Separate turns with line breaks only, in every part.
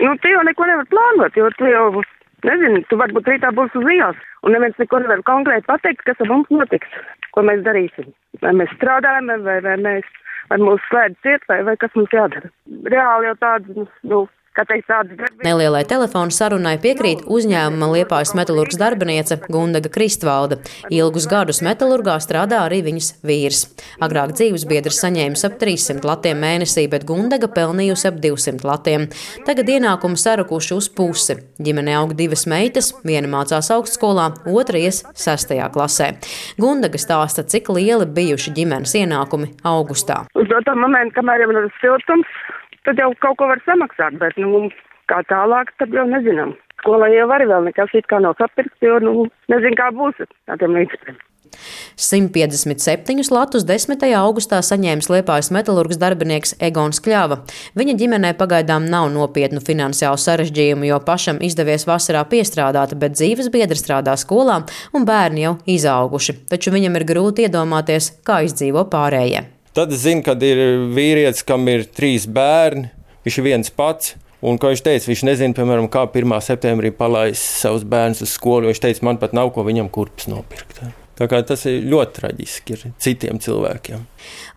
Nu, tu jau neko nevar plānot, jo tu jau, nezini, tu varbūt rītā būs uz ielas, un neviens neko nevar konkrēti pateikt, kas ar mums notiks, ko mēs darīsim. Vai mēs strādājam, vai mūs slēdz ciet, vai kas mums jādara. Reāli jau tādas,
Nelielai telefonu sarunai piekrīt uzņēmuma Liepājas metalurgas darbiniece Gundaga Kristvalde. Ilgus gadus metalurgā strādā arī viņas vīrs. Agrāk dzīvesbiedrs saņēmis ap 300 latiem mēnesī, bet Gundaga pelnījusi ap 200 latiem. Tagad ienākumi sarukuši uz pusi. Ģimene aug 2 meitas, viena mācās augstskolā, otra ies 6. klasē. Gundaga stāsta, cik lieli bijuši ģimenes ienākumi augustā.
Uz to momentu, kamēr jau ir siltums, tad jau kaut ko var samaksāt, bet, kā tālāk, tad jau nezinām. Skolai jau arī vēl nekas it kā nav sapirkts, jo, nezinu, kā būs ar tiem līdzekļiem.
157 latus 10. augustā saņēmis Liepājas metalurgas darbinieks Egons Kļava. Viņa ģimenē pagaidām nav nopietnu finansiālu sarežģījumu, jo pašam izdevies vasarā piestrādāt, bet dzīvesbiedri strādā skolā un bērni jau izauguši. Taču viņam ir grūti iedomāties, kā izdzīvo pārējie.
Tad es zinu, kad ir vīrietis, kam ir 3 bērni, viņš ir viens pats. Un, kā viņš teica, viņš nezina, piemēram, kā 1. septembrī palaist savus bērnus uz skolu. Viņš teica, man pat nav ko viņam kurpes nopirkt. Tā kā tas ir ļoti traģiski ir citiem cilvēkiem.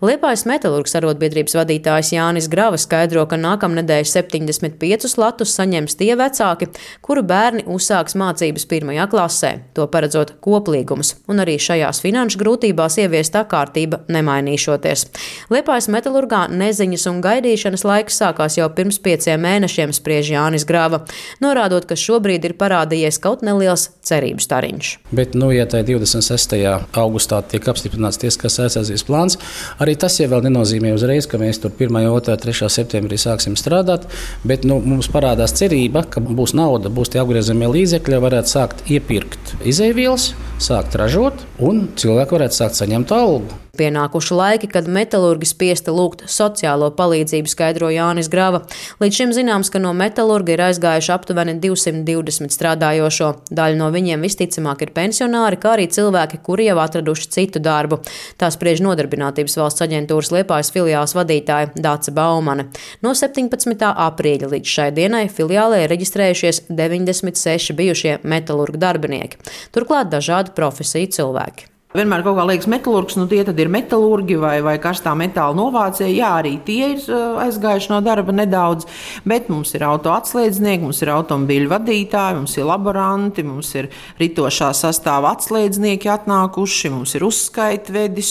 Liepājas metalurgas arotbiedrības vadītājs Jānis Grava skaidro, ka nākamnedēļ 75 latus saņems tie vecāki, kuru bērni uzsāks mācības 1. klasē, to paredzot koplīgums, un arī šajās finanšu grūtībās ieviestā kārtība nemainīšoties. Liepājas metalurgā neziņas un gaidīšanas laiks sākās jau pirms 5 mēnešiem, spriež Jānis Grava, norādot, ka šobrīd ir parādījies kaut neliels cerības stariņš.
Bet, ja tā 26. augustā tiek apstiprināts tiesiskās aizsardzības plāns, arī tas jau vēl nenozīmē uzreiz, ka mēs tur 1., 2., 3. septembrī sāksim strādāt, bet mums parādās cerība, ka būs nauda, būs tie apgriezamie līdzekļi, varētu sākt iepirkt izēvielas, sākt ražot un cilvēki varētu sākt saņemt algu.
Pienākuši laiki, kad metalurgi spiesti lūgt sociālo palīdzību, skaidro Jānis Grava. Līdz šim zināms, ka no metalurga ir aizgājuši aptuveni 220 strādājošo. Daļa no viņiem visticamāk ir pensionāri, kā arī cilvēki, kuri jau atraduši citu darbu. Tā spriež Nodarbinātības valsts aģentūras Liepājas filiāles vadītāja Dāce Baumane. No 17. aprīļa līdz šai dienai filiālē ir reģistrējušies 96 bijušie metalurga darbinieki. Turklāt dažādu profesiju cilvēki.
Vienmēr kaut kā liekas metalurgs, tie tad ir metalurgi vai karstā metāla novācēji. Jā, arī tie ir aizgājuši no darba nedaudz, bet mums ir auto atslēdznieki, mums ir automobīļu vadītāji, mums ir laboranti, mums ir ritošā sastāva atslēdznieki atnākuši, mums ir uzskaitvedis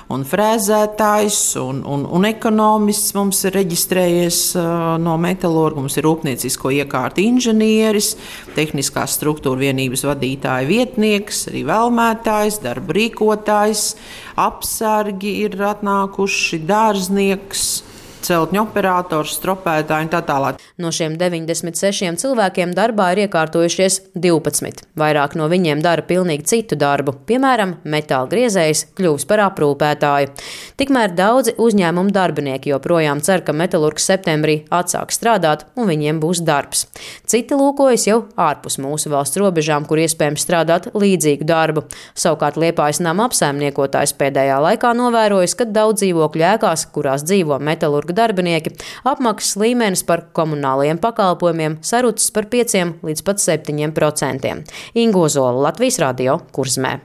un frēzētājs un ekonomists mums ir reģistrējies no metalurga, mums ir rūpniecisko iekārtu inženieris, tehniskās struktūra vienības vadītāja vietnieks, arī vēlmētājs, darba rīkotājs, apsargi ir atnākuši, dārznieks, celtņu operators, stropētāji un tā tālāk.
No šiem 96 cilvēkiem darbā ir iekārtojušies 12. Vairāk no viņiem dara pilnīgi citu darbu, piemēram, metāla griezējs kļuvis par aprūpētāju. Tikmēr daudzi uzņēmumu darbinieki joprojām cer, ka metalurgs septembrī atsāks strādāt un viņiem būs darbs. Citi lūkojas jau ārpus mūsu valsts robežām, kur iespējams strādāt līdzīgu darbu. Savukārt Liepājas nama apsaimniekotājs pēdējā laikā novērojis, ka daudz dzīvokļu ēkās, kurās dzīvo metalurga darbinieki, apmaksas līmenis par komunālajiem pakalpojumiem sarucis par 5 līdz pat 7%. Inga Ozola, Latvijas radio, Kurzemē.